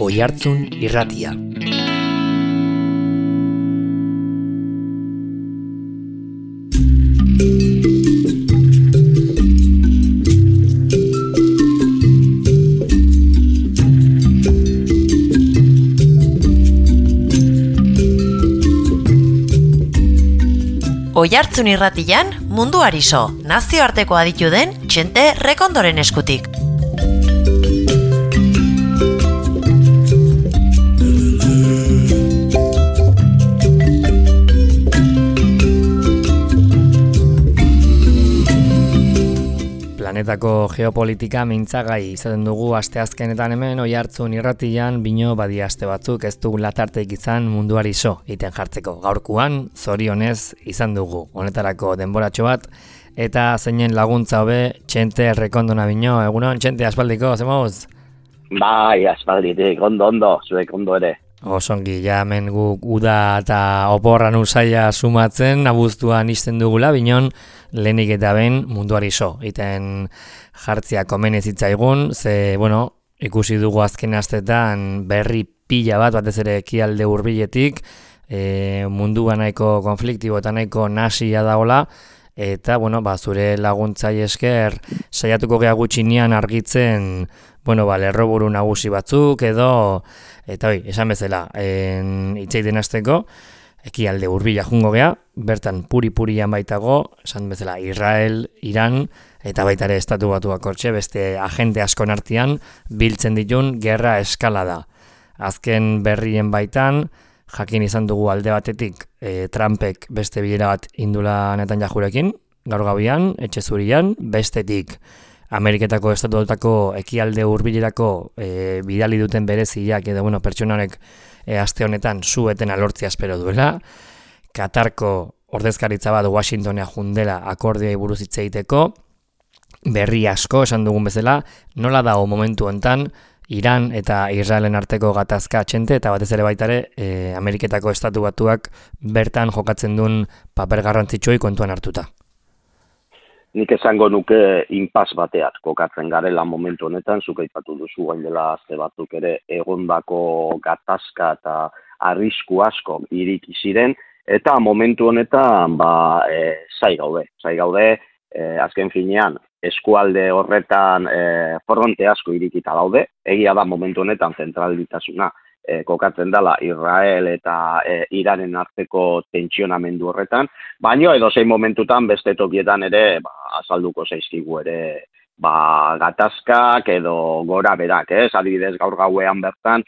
Oihartzun Irratia. Oihartzun Irratian munduari so, nazioarteko aditu den Txente Rekondoren eskutik. Planetako geopolitika mintzagai izaten dugu asteazkenetan hemen Oihartzun Irratian bino badia aste batzuk ez dugu latarteik izan munduari so iten jartzeko. Gaurkoan zorionez izan dugu honetarako denboratxo bat eta zeinen laguntza hobe Txente Rekondona bino. Egunon Txente, aspaldiko, zemoz? Bai, aspalditik, ondo, zuek ondo ere. Osongi, ja hemen guk uda eta oporran usaia sumatzen, abuztuan izten dugula, binon lehenik eta behin munduari so. Iten jartzia komen ez zitzaigun, ze, ikusi dugu azken astetan berri pila bat, batez ere ekialde hurbiletik, mundua nahiko konfliktibo eta nahiko nasia dagoela, eta, zure laguntzai esker saiatuko gea gutxinean argitzen, lerroburu nagusi batzuk edo, eta esan bezala, itzeiten hasteko, ekialde hurbila jungo gea, bertan puri-purian baitago, esan bezala, Israel, Iran, eta baita ere estatu batuak hortxe, beste agente askon artean, biltzen ditun gerra eskalada. Azken berrien baitan, jakin izan dugu alde batetik, Trumpek beste bilera bat indula Netanyahurekin, gaur gabian, etxe zurian, bestetik, Ameriketako estatuetako ekialde hurbilerako bidali duten bereziak edo pertsonanek aste honetan su-etena lortzea espero duela. Katarko ordezkaritza bat Washingtonea jundela akordioi buruz hitz egiteko. Berri asko esan dugun bezala, nola dago momentu hontan Iran eta Israelen arteko gatazka Txente eta batez ere baitare Ameriketako estatu batuak bertan jokatzen duen paper garrantzitsuei kontuan hartuta. Nik esango nuke inpas bateat kokatzen garela momentu honetan, zuk aipatu duzu gain dela aste batzuk ere egondako gatazka eta arrisku asko iriki ziren, eta momentu honetan zai gaude, azken finean eskualde horretan fronte asko irikita daude, egia da momentu honetan zentralitasuna kokatzen dela Israel eta Iranen arteko tentsionamendu horretan, baina edozein momentutan beste tokietan ere azalduko zaizkigu ere gatazkak edo gora berak, adibidez gaur gauean bertan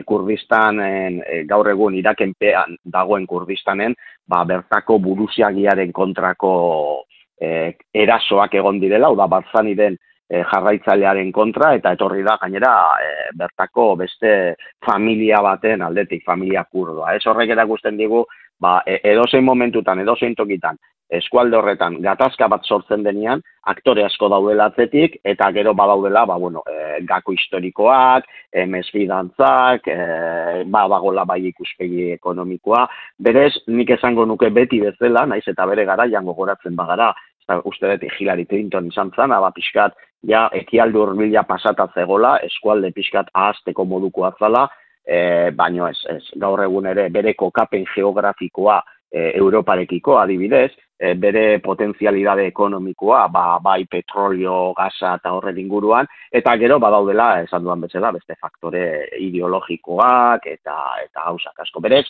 Kurdistanen, gaur egun Irakenpean dagoen Kurdistanen, bertako buruziagiaren kontrako erasoak egon direla, Barzaniren jarraitzailearen kontra, eta etorri da gainera bertako beste familia baten aldetik, familia kurdoa. Horrek erakusten digu, edozein momentutan, edozein tokitan, eskualde horretan gatazka bat sortzen denean, aktore asko daudela atzetik, eta gero badaudela, gako historikoak, mesfidantzak, badagola bai ikuspegi ekonomikoa. Berez, nik esango nuke beti bezala, naiz eta bere garaian gogoratzen bagara, uste dut Hillary Clinton izan zen, pixkat, ekialde hurbila pasata zegola, eskualde pixkat ahazteko moduko atzala, baino ez, gaur egun ere bere kokapen geografikoa Europarekiko adibidez, bere potentzialidade ekonomikoa, bai petrolio, gaza eta horren inguruan, eta gero badaudela, esan duan bezala, beste faktore ideologikoak eta gauzak asko. Berez,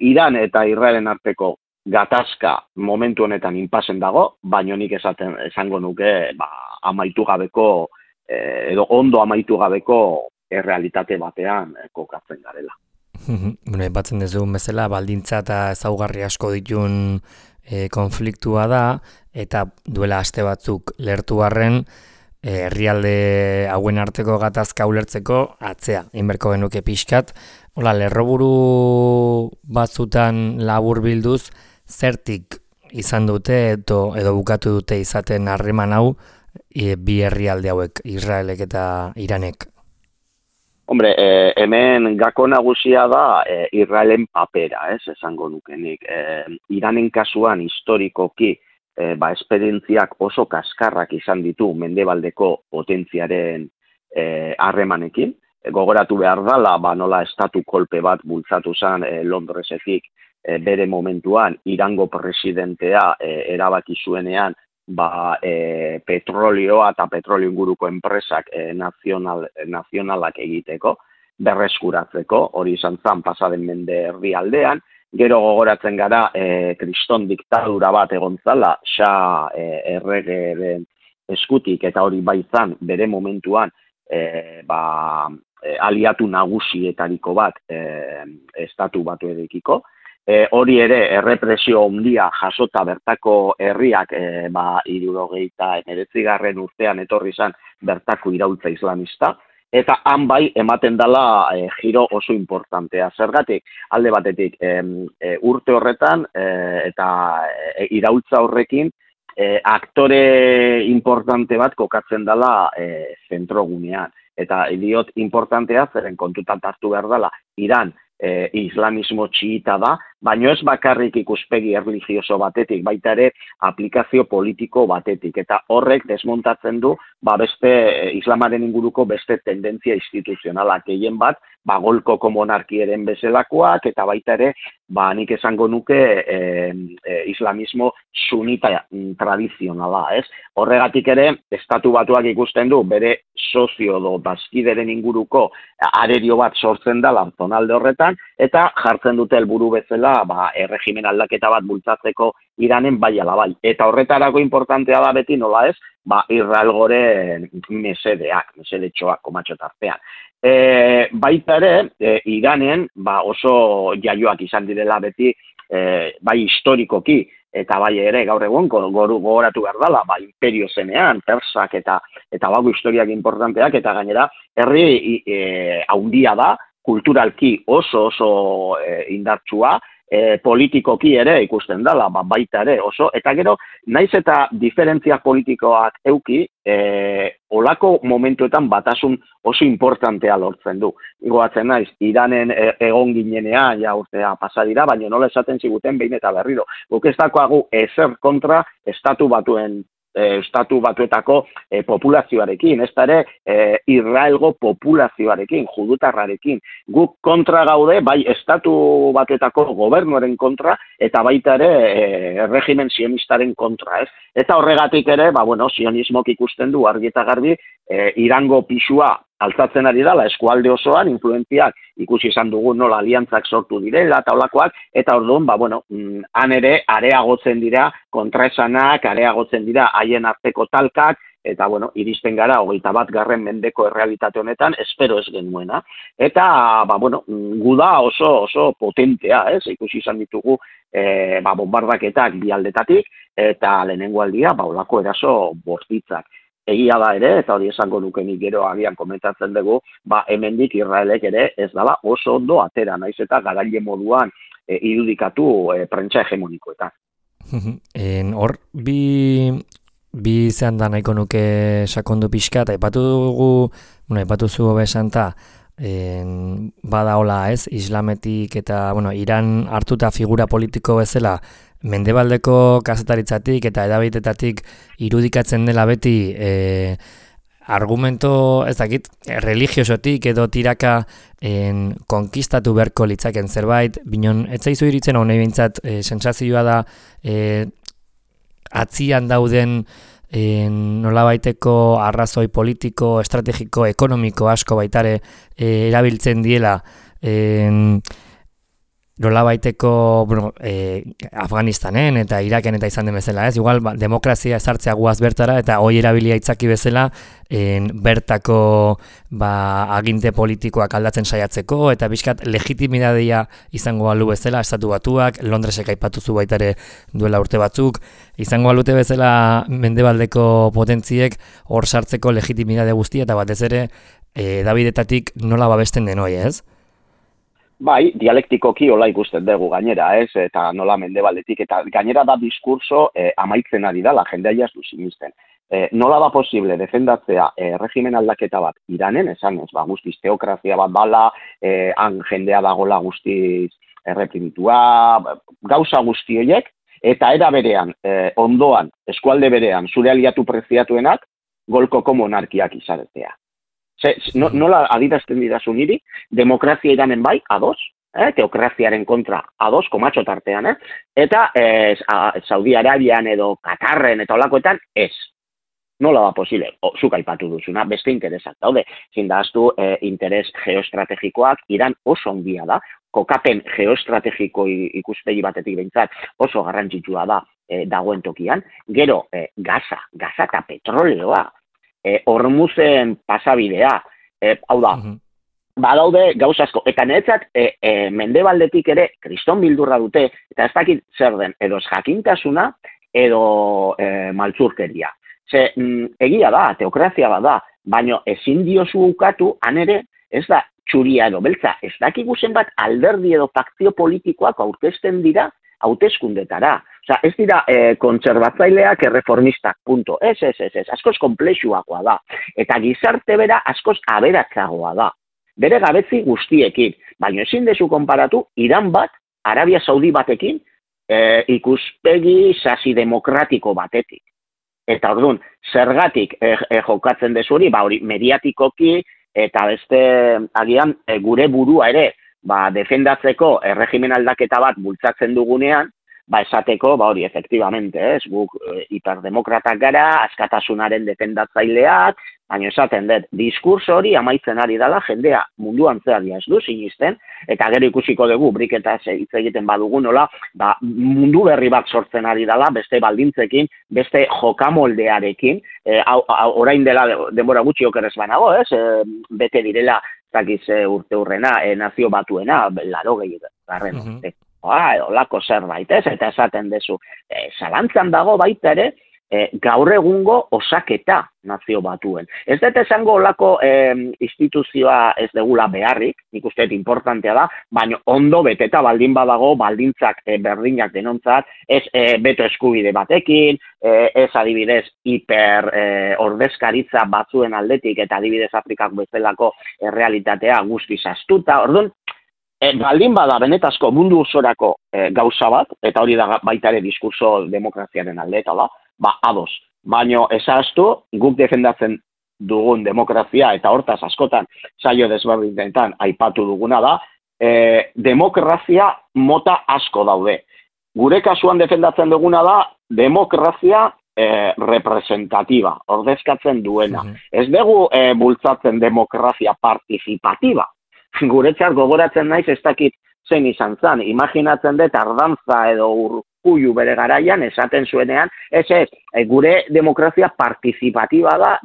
Iran eta Israelen arteko gatazka momentu honetan inpasen dago, baino nik esango nuke amaitu gabeko, edo ondo amaitu gabeko errealitate batean kokatzen garela. Batzen dezugun bezala, baldintza eta ezaugarri asko ditun konfliktua da, eta duela aste batzuk lertu arren, herrialde hauen arteko gatazka ulertzeko atzea, inberko genuke pixkat. Lerroburu batzutan labur bilduz, zertik izan dute edo bukatu dute izaten harreman hau bi herrialde hauek, Israelek eta Iranek? Hombre, hemen gako nagusia da Israelen papera, esango nukenik. Iranen kasuan historikoki esperientziak oso kaskarrak izan ditu mendebaldeko potentziaren harremanekin, gogoratu behar dela, nola estatu kolpe bat bultzatu zen Londresetik bere momentuan Irango presidentea erabaki zuenean petrolioa eta petrolio inguruko enpresak nazionalak egiteko, berreskuratzeko, hori izan zen pasaden mende erdialdean. Gero gogoratzen gara kriston diktadura bat egon zala, erregeren eskutik, eta hori baizan bere momentuan aliatu nagusietariko bat estatu batuekiko. Hori ere errepresio handia jasota bertako herriak 79. urtean etorri izan bertako iraultza islamista, eta han bai ematen dela giro oso importantea. Zergatik, alde batetik urte horretan eta iraultza horrekin aktore importante bat kokatzen dela zentrogunean. Eta diot importantea, zeren kontutan hartu behar dela, Iran islamismo txiita da, baino ez bakarrik ikuspegi erlijioso batetik, baita ere aplikazio politiko batetik, eta horrek desmontatzen du beste islamaren inguruko beste tendentzia instituzionalak gehien bat, golkoko monarkieren bezalakoak, eta baita ere nik esango nuke islamismo sunita tradizionala, ez? Horregatik ere, estatu batuak ikusten du bere sozio do bazkideren inguruko arerio bat sortzen da zonalde horretan, eta jartzen dute helburu bezala erregimen aldaketa bat bultzatzeko Iranen bai ala bai. Eta horretarako importantea da beti nola ez, Israel gore mesedetxoak komatxotartean. Baita ere, Iranen oso jaioak izan direla beti, bai historikoki, eta bai ere gaur egun gogoratu behar dela, imperio zenean, persak eta bago historiak importanteak, eta gainera herri haundia da, kulturalki oso indartsua, politikoki ere ikusten dela, baita ere oso, eta gero, naiz eta diferentzia politikoak euki, olako momentuetan batasun oso importantea lortzen du. Goatzen naiz, Iranen egon ginenean, urtea pasadira, baina nola esaten ziguten behin eta berriro. Guk ez dakoagu ezer kontra estatu batuetako populazioarekin, ez da ere Israelgo populazioarekin, judutarrarekin. Guk kontra gaude, bai estatu batuetako gobernuaren kontra, eta baita ere regimen sionistaren kontra, ez? Eta horregatik ere, sionismok ikusten du argi eta garbi, Irango pisua altzatzen ari dela eskualde osoan, influentziak ikusi izan dugu nola aliantzak sortu direla eta olakoak, eta orduan, han ere areagotzen dira kontraesanak, areagotzen dira haien arteko talkak, eta iristen gara 21. mendeko errealitate honetan, espero ez genuena. Eta, guda oso potentea, ez? Ikusi izan ditugu bombardaketak bi aldetatik, eta lehenengo aldia, olako eraso bortitzak. Egia da ere, eta hori esango nukenik gero agian komentatzen dugu, hemendik Israelek ere ez dela oso ondo atera, naiz eta garaile moduan irudikatu prentsa hegemonikoetan. Hor, bi zehan da nahiko nuke sakondu pixka, eta aipatu zu besanta, bada hola ez, islametik eta Iran hartuta figura politiko bezala, mendebaldeko kazetaritzatik eta edabitetatik irudikatzen dela beti argumento, ez dakit, religiosotik edo tiraka konkistatu beharko litzaken zerbait, binon, ez zaizu iritzen hau nahi bintzat, sensazioa da atzian dauden nolabaiteko arrazoi politiko, estrategiko, ekonomiko asko baitare erabiltzen diela nolabaiteko Afganistanen eta Iraken eta izan den bezala, ez? Igual demokrazia ezartzea guaz bertara eta hoi erabilia itzaki bezala bertako aginte politikoak aldatzen saiatzeko eta bizkat legitimidadea izango balu bezala, estatu batuak, Londresek aipatuzu baitare duela urte batzuk, izango balute bezala mendebaldeko potentziek hor sartzeko legitimidade guztia eta batez ere edabidetatik nola babesten den hoi, ez? Bai, dialektikoki hola ikusten dugu gainera, ez? Eta nola mendebaldetik, eta gainera da diskurso amaitzen ari da, la jendea jazdu sinisten. Nola da posible defendatzea regimen aldaketa bat Iranen, esan ez, guztiz teokrazia bat bala, han jendea dagola guztiz erreprimitua, gauza guzti horiek, eta era berean, ondoan, eskualde berean, zure aliatu preziatuenak, golkoko monarkiak izaretea. Nola adierazten didazu niri, demokrazia iranen bai, ados, teokraziaren kontra ados, komatxo tartean, eta Saudi Arabian edo Katarren eta olakoetan ez. Nola da posible? Zuk aipatu duzuna, beste interesak daude. Zindaztu interes geoestrategikoak Iran oso ondia da, kokapen geoestrategiko ikuspegi batetik behintzat oso garrantzitsua da dagoen tokian. Gero, gaza eta petroleoa, Hormuzen pasabidea, hau da, badaude gauz asko, eta niretzat mendebaldetik ere kriston bildurra dute, eta ez dakit zer den, edo jakintasuna, edo maltzurkeria. Egia da, teokrazia bada, baina ezin diozu ukatu, han ere, ez da txuria edo beltza, ez dakigu zenbat alderdi edo fakzio politikoak aurkezten dira hauteskundetara. Osea, ez dira kontserbatzaileak erreformistak, punto. Ez, askoz konplexuakoa da. Eta gizarte bera askoz aberatzagoa da. Bere gabetzi guztiekin, baina ezin dezu konparatu Iran bat, Arabia Saudi batekin, ikuspegi sasi demokratiko batetik. Eta orduan, zergatik jokatzen dezu hori, hori mediatikoki eta beste agian gure burua ere defendatzeko erregimen aldaketa bat bultzatzen dugunean, esateko, hori, efektibamente, guk hiperdemokratak gara, askatasunaren defendatzaileak, baina esaten dut, diskurso hori amaitzen ari dela, jendea munduan zehar ez du sinisten, eta gero ikusiko dugu, briketaz hitz egiten badugu nola, mundu berri bat sortzen ari dela, beste baldintzekin, beste jokamoldearekin, orain dela denbora gutxi okerrez banago, bete direla, zakiz urte hurrena, nazio batuena, 80. Olako zerbait, eta esaten dezu. Zalantzan dago baita ere, gaur egungo osaketa nazio batuen. Ez dut esango olako instituzioa ez degula beharrik, nik uste importantea da, baina ondo beteta baldin badago, baldintzak berdinak denontzat, ez beto eskubide batekin, ez adibidez hiper ordezkaritza batzuen aldetik, eta adibidez Afrikak bezalako realitatea guztiz astuta, orduan, baldin bada benetazko mundu osorako gauza bat, eta hori da baita ere diskurso demokraziaren alde eta ados. Baina esaztu, guk defendatzen dugun demokrazia eta hortaz askotan saio desberdinetan aipatu duguna da, demokrazia mota asko daude. Gure kasuan defendatzen duguna da, demokrazia representatiba, ordezkatzen duena. Ez dugu bultzatzen demokrazia partizipatiba. Guretzat gogoratzen naiz ez dakit zein izan zan. Imaginatzen dut Ardantza edo Urkullu bere garaian esaten zuenean, gure demokrazia partizipatiba da,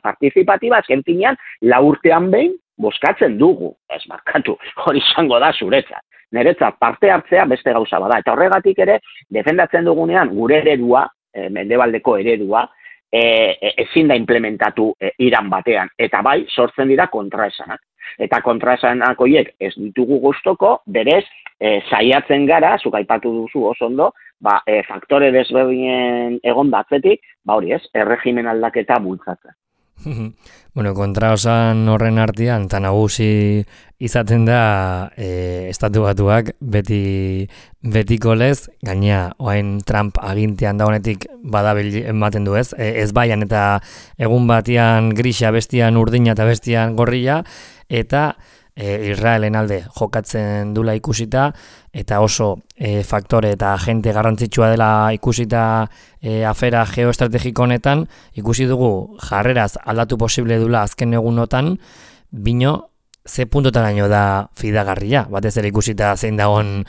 partizipatiba azken finean 4 urtean behin bozkatzen dugu. Ez hori izango da zuretzat. Niretzat parte hartzea beste gauza bada. Eta horregatik ere, defendatzen dugunean gure eredua, mendebaldeko eredua, ezin da implementatu Iran batean. Eta sortzen dira kontraesanak. Eta kontraesanak horiek ez ditugu gustoko, berez, saiatzen gara, zuk aipatu duzu oso ondo, faktore desberdinen egon batzetik, hori ez, erregimen aldaketa bultzatzen. Bueno, kontraosan horren artean, eta nagusi izaten da estatu batuak betiko lez, gainea, oain Trump agintean dagonetik badabil ematen du ez, ez baian eta egun batian grisa, bestian urdina eta bestian gorria, eta Israelen alde jokatzen dula ikusita, eta oso faktore eta agente garrantzitsua dela ikusita afera geoestrategiko honetan, ikusi dugu jarreraz aldatu posible dula azken egunotan, bino ze puntotaraino da fidagarria, batez ere ikusita zein dagoen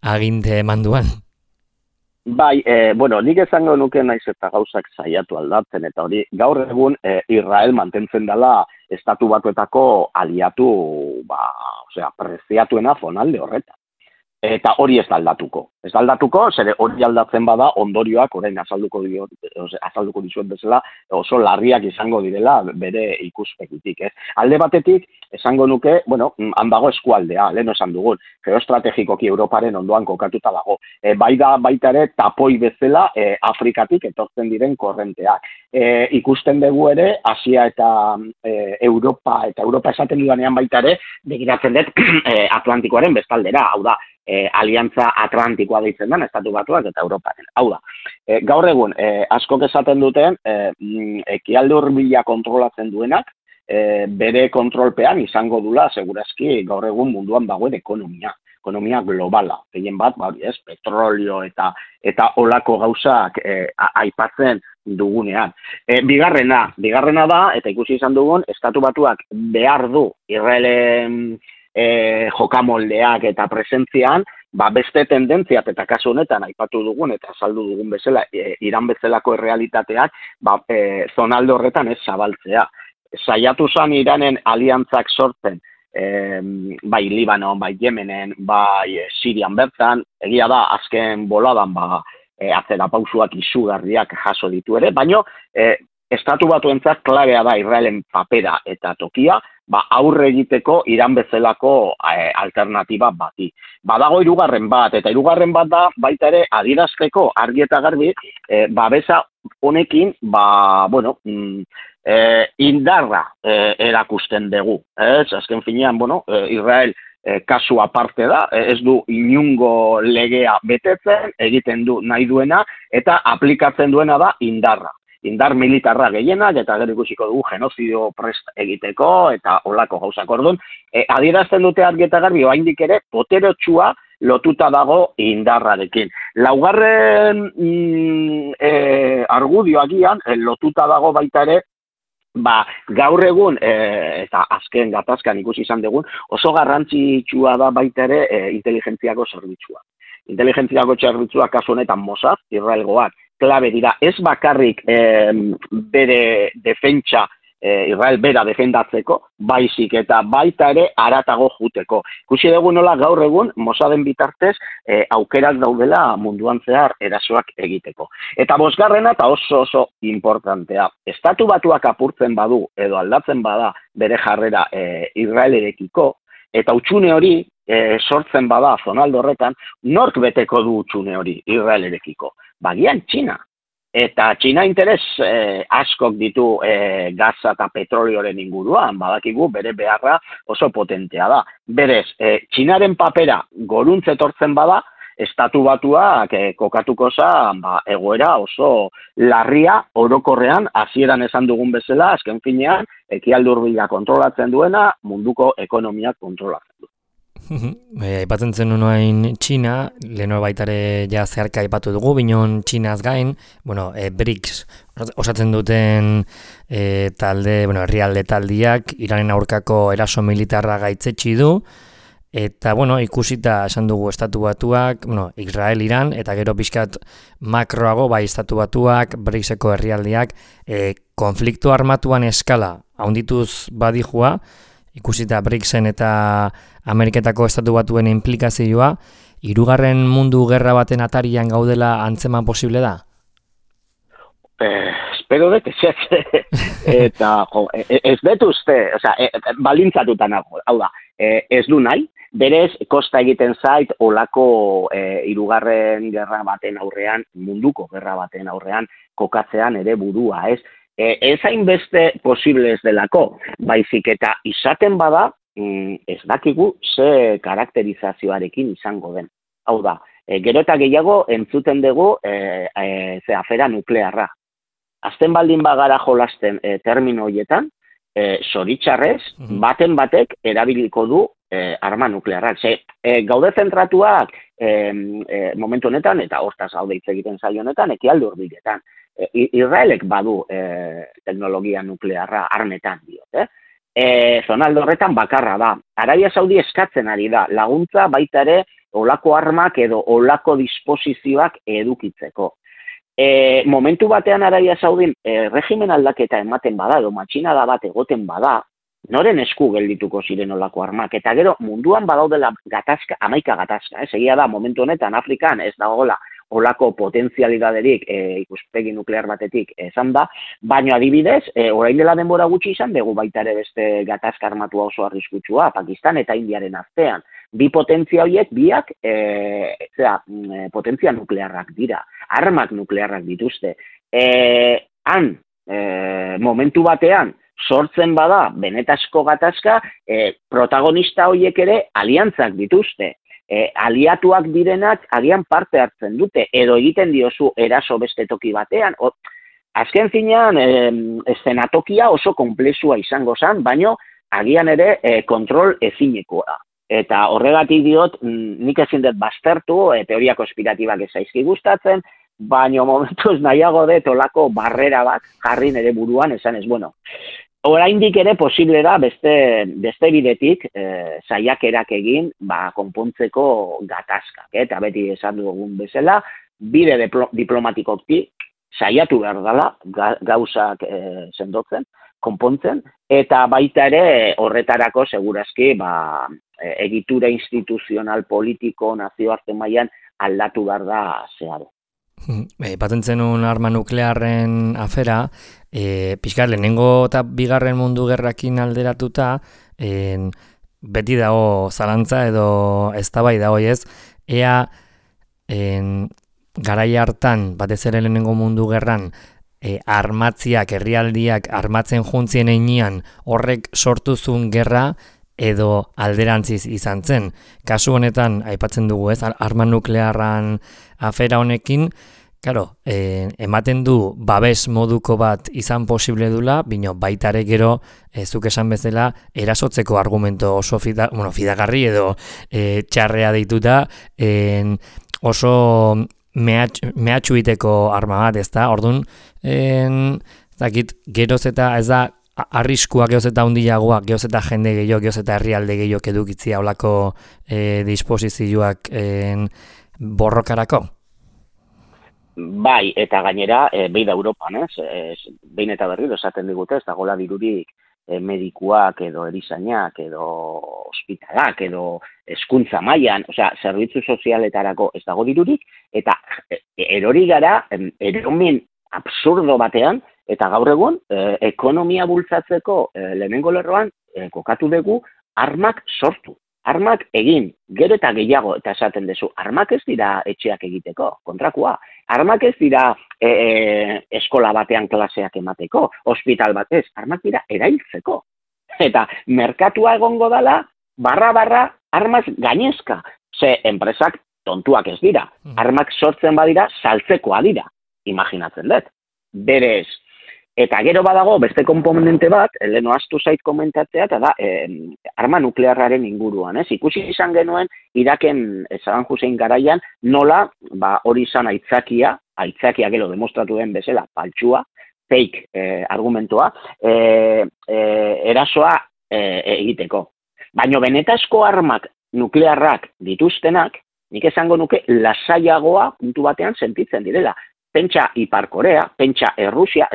aginte manduan. Nik esango nuke naiz eta gauzak saiatu aldatzen, eta hori gaur egun Israel mantentzen dela estatu batuetako aliatu, preziatuena zonalde horretan. Eta hori ez da aldatuko. Ez da aldatuko, zere hori aldatzen bada ondorioak, orain azalduko dizuet bezala, oso larriak izango direla bere ikuspegitik. Alde batetik, esango nuke, han dago eskualdea, lehen esan dugun, geoestrategikoki Europaren ondoan kokatuta dago. Baita ere, tapoi bezala Afrikatik etortzen diren korrenteak. Ikusten dugu ere, Asia eta Europa esaten dudanean baita ere, begiratzen dut Atlantikoaren bestaldera, hau da, aliantza atlantikoa deitzen den, Estatu Batuak eta Europaren. Hau da, gaur egun, askok esaten duten, ekialde hurbila kontrolatzen duenak, bere kontrolpean izango dula, segurazki, gaur egun munduan dagoen ekonomia globala. Gehien bat, petrolio eta olako gauzak aipatzen dugunean. Bigarrena da, eta ikusi izan dugun, Estatu Batuak behar du Israelen jokamoldeak eta presentzian, beste tendentziat eta kasu honetan aipatu dugun eta azaldu dugun bezala, Iran bezalako errealitateak, zonalde horretan ez zabaltzea. Saiatu zan Iranen aliantzak sortzen, bai Libanon, bai Yemenen, bai Sirian bertan, egia da azken boladan atzera pausuak izugarriak jaso ditu ere, baino Estatu Batuentzat klabea da Israelen papera eta tokia, aurre egiteko Iran bezalako alternatiba bati. Badago hirugarren bat, eta hirugarren bat da baita ere adierazteko argi eta garbi, babesa honekin, indarra erakusten dugu. Azken finean, Israel kasu aparte da, ez du inungo legea betetzen, egiten du nahi duena, eta aplikatzen duena da indarra. Indar militarra gehienak, eta gero ikusiko dugu genozidio prest egiteko, eta olako gauzak orduan. Adierazten dute argi eta garbi, oraindik ere, poterotsua lotuta dago indarrarekin. Laugarren argudioagian, lotuta dago baita ere, gaur egun, eta azken gatazkan ikusi izan dugun, oso garrantzitsua da baita ere inteligentziako zerbitzua. Inteligentziako zerbitzua kasu honetan Mossad, Israelgoak, klabe dira, ez bakarrik bere defentsa, Israel bera defendatzeko, baizik eta baita ere haratago juteko. Ikusi dugu nola gaur egun, Mossaden bitartez, aukerak daudela munduan zehar erasoak egiteko. Eta bosgarrena eta oso importantea. Estatu Batuak apurtzen badu, edo aldatzen bada bere jarrera Israelerekiko, eta utxune hori sortzen bada zonaldo horretan, nork beteko du utxune hori Israelerekiko? Bagian Txina. Eta Txina interes askok ditu gaza eta petrolioren inguruan, badakigu bere beharra oso potentea da. Berez, Txinaren papera goruntz etortzen bada, Estatu Batuak kokatuko zan egoera oso larria orokorrean, hasieran esan dugun bezala, azken finean, ekialde hurbila kontrolatzen duena, munduko ekonomiak kontrolatzen du. Aipatzen zen nunoain Txina, leheno baitare ja zeharka aipatu dugu, binon Txinaz gain, BRICS osatzen duten herrialde taldiak, Iranen aurkako eraso militarra gaitzetsi du, eta ikusita esan dugu Estatu Batuak, Israel, Iran, eta gero pixkat makroago, bai Estatu Batuak, BRICSeko herrialdeak, konflikto armatuan eskala haundituz badijua, ikusita BRICSen eta Ameriketako Estatu Batuen implikazioa, hirugarren mundu gerra baten atarian gaudela antzeman posible da? Espero dut eta ez dut uste, balintzatuta nago, hau da, ez du nahi, berez kosta egiten zait olako hirugarren gerra baten aurrean, munduko gerra baten aurrean kokatzean ere burua, ez? Ez hainbeste posible ez delako, baizik eta izaten bada, ez dakigu ze karakterizazioarekin izango den. Hau da, gero eta gehiago entzuten dugu afera nuklearra. Azten baldin bagara jolasten termino horietan, zoritxarrez, baten batek erabiliko du arma nuklearrak. Gaude zentratuak momentu honetan, eta hortaz gaude hitz egiten zaio honetan, ekialde hurbiletan. Israelek badu teknologia nuklearra armetan diot, zonaldo horretan bakarra da. Arabia Saudi eskatzen ari da, laguntza baita ere olako armak edo olako disposizioak edukitzeko. Momentu batean Arabia Saudin regimen aldaketa ematen bada, edo matxinada bat egoten bada, noren esku geldituko ziren olako armak, eta gero munduan badaudela gatazka, 11 gatazka, egia da, momentu honetan Afrikan ez dagoela olako potentzialidaderik ikuspegi nuklear batetik esan da, baina adibidez, orain dela denbora gutxi izan dugu baita ere beste gatazka armatua oso arriskutsua, Pakistan eta Indiaren artean. Bi potentzia horiek biak potentzia nuklearrak dira, armak nuklearrak dituzte. Momentu batean, sortzen bada benetazko gatazka, protagonista horiek ere aliantzak dituzte. aliatuak direnak agian parte hartzen dute, edo egiten diozu eraso beste toki batean, azken finean, eszenatokia oso konplexua izango zen, baino agian ere kontrol ezinekoa. Eta horregatik diot, nik ezin dut baztertu, teoria konspiratibak ez zaizki gustatzen, baina momentuz nahiago dut olako barrera bat jarri nire buruan, esan ez, bueno, oraindik ere posible da beste bidetik saiakerak egin konpontzeko gatazkak, eta beti esan dugun bezala, bide diplomatikotik saiatu behar dela gauzak sendotzen, konpontzen, eta baita ere horretarako segurazki egitura instituzional, politiko, nazioarte mailan aldatu behar da zeharo. Paten zenun arma nuklearren afera, pixkar lehenengo eta bigarren mundu gerrakin alderatuta, beti dago zalantza edo eztabaida dago ez, ea garai hartan, batez ere lehenengo mundu gerran, armatziak, herrialdiak armatzen juntzien einean horrek sortuzun gerra edo alderantziz izan zen. Kasu honetan, aipatzen dugu ez, arma nuklearran afera honekin, claro, ematen du babes moduko bat izan posible dula, bino baitare gero, zuk esan bezala, erasotzeko argumento oso fidagarri edo txarrea deituta, oso mehatxuiteko arma bat, ezta? Orduan, geroz eta ez da arriskua geoz eta hundiagoa, geoz eta jende gehiago, geoz eta herrialde gehiago edukitzia olako disposizioak borrokarako? Bai, eta gainera, behin da Europan, behin eta berriro esaten digute, ez dagoela dirurik medikuak edo erizainak edo ospitalak edo hezkuntza mailan, osea, zerbitzu sozialetarako ez dago dirurik, eta erori gara, eromin absurdo batean, eta gaur egun, ekonomia bultzatzeko lehenengo lerroan, kokatu dugu, armak sortu. Armak egin, gero eta gehiago, eta esaten duzu, armak ez dira etxeak egiteko, kontrakoa. Armak ez dira eskola batean klaseak emateko, ospital batez, armak dira erailtzeko. Eta merkatua egongo dela, barra, armaz gainezka. Ze enpresak tontuak ez dira. Armak sortzen badira, saltzekoa dira. Imaginatzen dut. Berez. Eta gero badago, beste komponente bat, leheno astu zait komentatzea, eta da, arma nuklearraren inguruan, ez? Ikusi izan genuen, Iraken Saddam Hussein garaian, nola, hori izan aitzakia gero demostratu den bezala, paltsua, fake argumentoa, erasoa egiteko. Baina benetazko armak nuklearrak dituztenak, nik esango nuke lasaiagoa puntu batean sentitzen direla. Pentsa Ipar Korea, pentsa Errusia,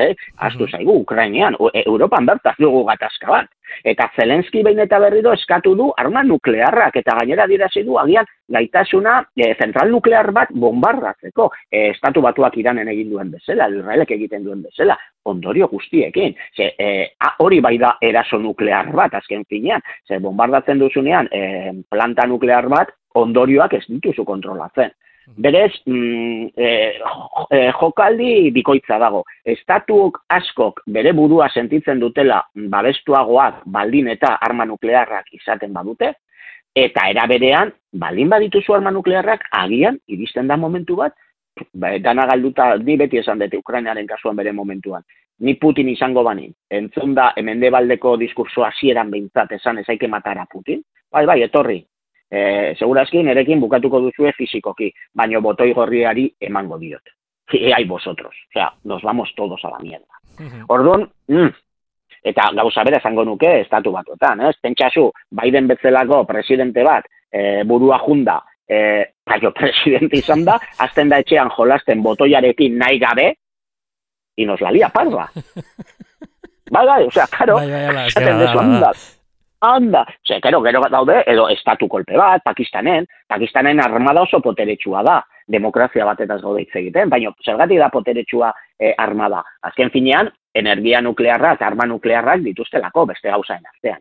astu zaigu, Ukrainean, Europan bertaz dugu gatazka bat. Eta Zelenski behin eta berriro eskatu du arma nuklearrak, eta gainera dirazi du agian gaitasuna zentral nuklear bat bombardatzeko. Estatu Batuak Iranen egin duen bezala, Israelek egiten duen bezala, ondorio guztiekin. Hori bai da eraso nuklear bat, azken finean. Bombardatzen duzunean planta nuklear bat, ondorioak ez dituzu kontrolatzen. Berez, jokaldi bikoitza dago. Estatuok askok bere burua sentitzen dutela babestuagoak baldin eta arma nuklearrak izaten badute, eta era berean, baldin badituzu arma nuklearrak, agian, iristen da momentu bat, dana galduta, ni beti esan dute Ukrainaren kasuan bere momentuan, ni Putin izango banin, entzun da, Mendebaldeko diskurso hasieran behintzat esan ezaike matara Putin, bai, etorri. Segurazki nerekin bukatuko duzue fizikoki, baino botoi gorriari emango diot. Ai vosotros, o sea, nos vamos todos a la mierda. Orduan, eta gauza bera esango nuke estatu batuetan, pentsazu, Biden bezalako presidente bat, burua junda, presidente izan da, azten da etxean jolasten botoiarekin nahi gabe, y nos la lia parda. Bai, o sea, claro, esaten dezu anda, gero daude, edo estatu kolpe bat, Pakistanen armada oso poteretsua da, demokrazia batetaz gaude hitz egiten, baina zergatik da poteretsua armada. Azken finean, energia nuklearrak, arma nuklearrak dituztelako beste gauzaen artean.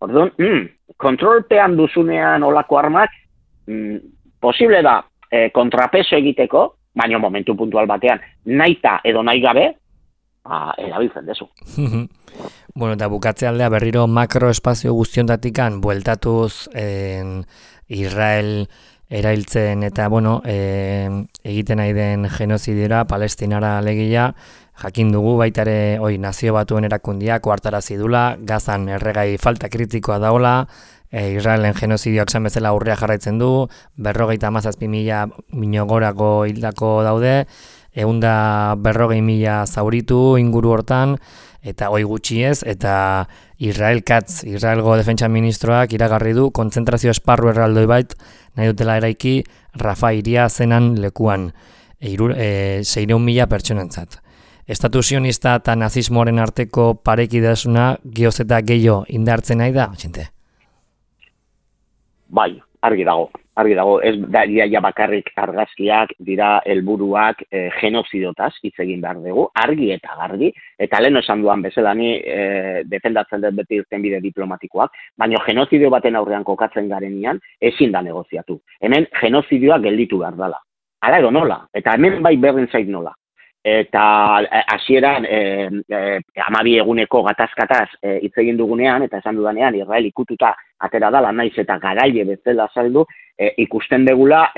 Orduan, kontrolpean duzunean olako armak, posible da kontrapeso egiteko, baina momentu puntual batean, nahita edo nahi gabe, erabiltzen dezu. Bueno, eta bukatze aldea berriro makroespazio guztiondatikan bueltatuz Israel erailtzen eta, bueno, egiten nahi den genozidiora, Palestinara alegia, jakin dugu baita ere, Nazio Batuen erakundiak ohartarazi dula, Gazan erregai falta kritikoa daola, Israelen genozidioak esan bezala aurrea jarraitzen du, 57.000 gorako hildako daude, 140.000 zauritu inguru hortan, eta gutxi ez, eta Israel Katz, Israelgo defentsa ministroak iragarri du kontzentrazio esparru erraldoi bait nahi dutela eraiki Rafa hiria zenan lekuan, 600.000 pertsonentzat. Estatu sionista eta nazismoaren arteko parekidasuna geoz eta gehiago indartzen nahi da, Txente? Bai, argi dago. Ez da ja bakarrik argazkiak dira helburuak genozidotaz hitz egin behar dugu, argi eta garbi, eta lehen esan duan bezala ni defendatzen dut beti irtenbide diplomatikoak, baina genozidio baten aurrean kokatzen garenean ezin da negoziatu. Hemen genozidioa gelditu behar dela. Hala edo nola, eta hemen bai berdin zait nola. Eta hasieran 12 eguneko gatazkataz hitz egin dugunean, eta esan dudanean, Israel ikututa atera dala naiz eta garaile bezala saldu, ikusten degula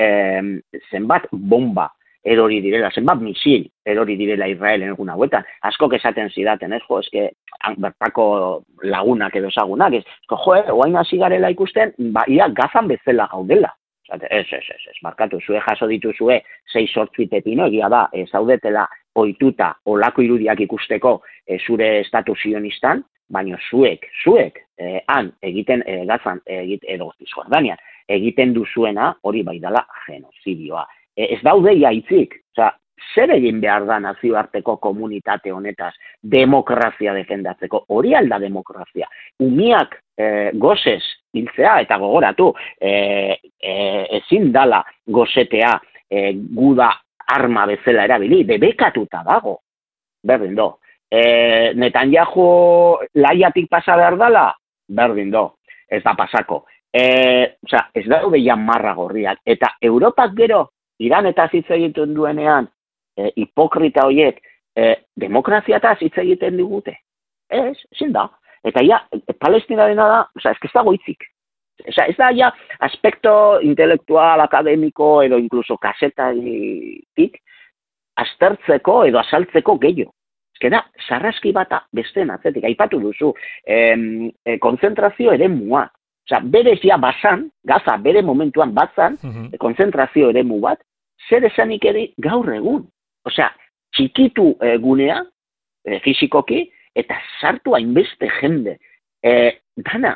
zenbat bomba erori direla, zenbat misil erori direla Israelen egun hauetan. Askok esaten zidaten, eske bertako lagunak edo ezagunak, oain hasi garela ikusten, ia Gazan bezala gaudela. Ez, markatu, zue jaso dituzue 6-8 pepino, egia da, zaudetela ohituta olako irudiak ikusteko zure estatu sionistan, baina zuek, han egiten Gazan, edo Cisjordanian, egiten duzuena hori bai dela genozidioa. Ez daude hitzik, zer egin behar da nazioarteko komunitate honetaz demokrazia defendatzeko, hori alda demokrazia. Umiak gozez hiltzea eta gogoratu, ezin dala gozetea guda arma bezala erabili, debekatuta dago, berdin do. Netanyahu laiatik pasa behar dala, berdin do, ez da pasako. Ez daude ja marra gorriak, eta Europak gero, Iran eta hitz egiten duenean, hipokrita horiek demokraziataz hitz egiten digute. Ezin da. Eta ja, Palestinarena da, ez dago hitzik. Ez da ja aspekto intelektual, akademiko edo inkluso kasetaritik aztertzeko edo azaltzeko gehiago. Ez da, sarraski bata besteen atzetik, aipatu duzu, konzentrazio eremua. Berez ja bazan, Gaza bere momentuan bazan, konzentrazio eremu bat, zer esanik ere gaur egun. Txikitu gunea, fizikoki, eta sartu hainbeste jende. Dana,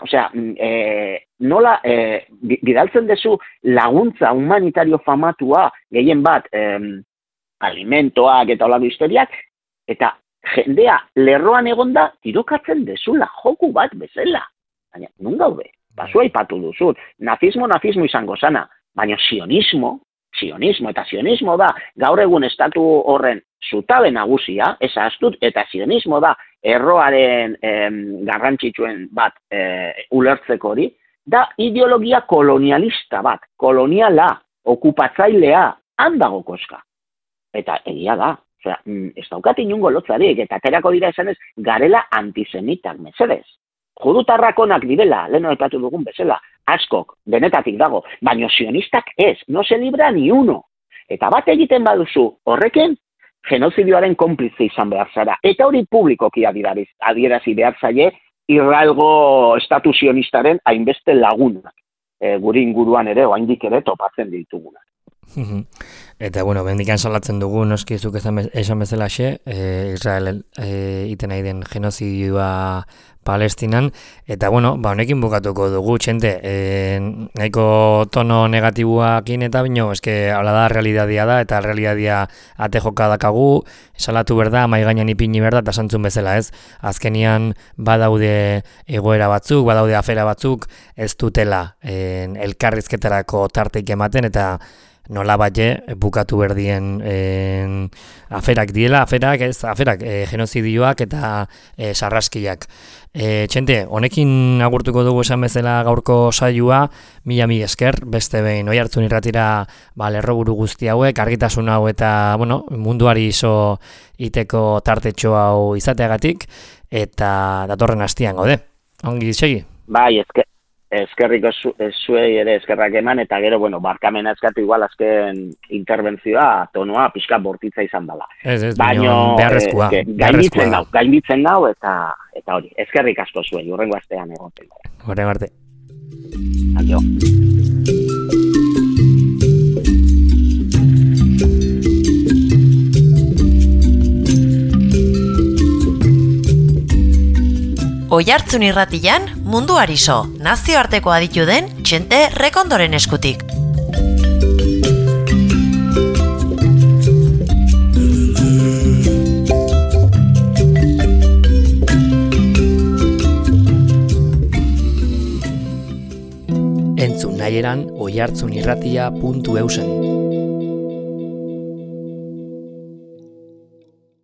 nola bidaltzen dezu laguntza humanitario famatua, gehien bat alimentoak eta olako historiak, eta jendea lerroan egonda tirokatzen dezula, joku bat bezala. Baina, nun gaude? Basua ipatu duzut, nazismo izango zana, baina sionismo da gaur egun estatu horren zutabe nagusia, ez astut, eta sionismo da erroaren garrantzitsuen bat ulertzeko hori, da ideologia kolonialista bat, koloniala, okupatzailea, handago koska. Eta egia da, ez daukat inungo lotzarik, eta aterako dira esanez, garela antisemitak, mesedez. Judutarrakonak direla, leheno aipatu dugun bezala, askok, denetatik dago, baina sionistak ez, no se libra ni uno. Eta bat egiten baduzu, horrekin, genozidioaren konplize izan behar zara. Eta hori publikoki adierazi behar zaie, Israelgo estatu sionistaren hainbeste lagunak. Guri inguruan ere, oraindik ere topatzen ditugunak. Eta, bendikan salatzen dugu, noski zuk esan bezalaxe, Israel iten nahi den genozidioa Palestinan, eta, honekin bukatuko dugu, Txente, nahiko tono negatibuakin eta bino, hala da, realidadia da, eta realidadia ate joka dakagu, salatu berda, maigainan ipini berda, eta santzun bezala, ez? Azkenian badaude egoera batzuk, badaude afera batzuk, ez dutela elkarrizketarako tarteik ematen, eta nola batxe bukatu berdien aferak diela, aferak genozidioak eta sarraskiak. Txente, honekin agurtuko dugu esan bezala gaurko saioa, mila esker, beste behin Oihartzun irratira lerroburu guzti hauek, argitasun hau eta munduari iso iteko tartetxo hau izateagatik, eta datorren hastian gaude. Ongi segi? Bai, eskerrik zuei ere eskerrak eman, eta gero, bueno, barkamena eskatu igual azken interbentzioa, tonua, pixka bortitza izan dela. Ez, baino, beharrezkoa. Gainditzen dau, eta hori, eskerrik asko zuei, hurrengo astean egoten. Horren arte. Adio. Oihartzun irratian, munduari so, nazioarteko aditu den Txente Rekondoren eskutik. Entzun nahieran oihartzunirratia.eusen.